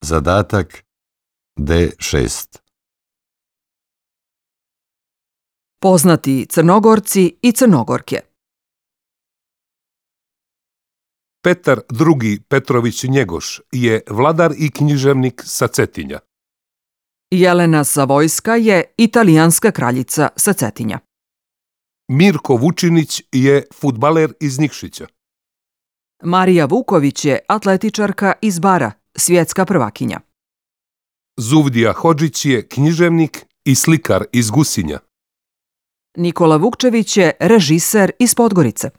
Zadatak D6. Poznati Crnogorci i Crnogorke. Petar II. Petrović Njegoš je vladar i književnik sa Cetinja. Jelena Savojska je italijanska kraljica sa Cetinja. Mirko Vučinić je fudbaler iz Nikšića. Marija Vuković je atletičarka iz Bara, svjetska prvakinja. Zuvdija Hodžić je književnik i slikar iz Gusinja. Nikola Vukčević je režiser iz Podgorice.